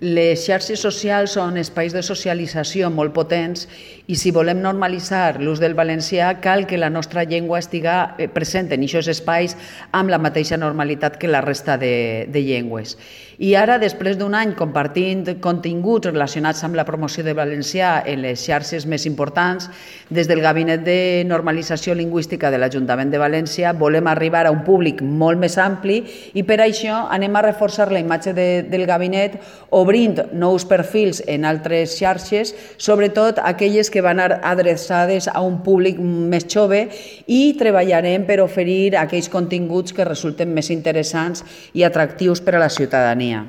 Les xarxes socials són espais de socialització molt potents i si volem normalitzar l'ús del valencià cal que la nostra llengua estigui present en aquests espais amb la mateixa normalitat que la resta de llengües. I ara, després d'un any compartint continguts relacionats amb la promoció del valencià en les xarxes més importants, des del Gabinet de Normalització Lingüística de l'Ajuntament de València volem arribar a un públic molt més ampli i per això anem a reforçar la imatge del gabinet obrint nous perfils en altres xarxes, sobretot aquelles que van adreçades a un públic més jove i treballarem per oferir aquells continguts que resulten més interessants i atractius per a la ciutadania.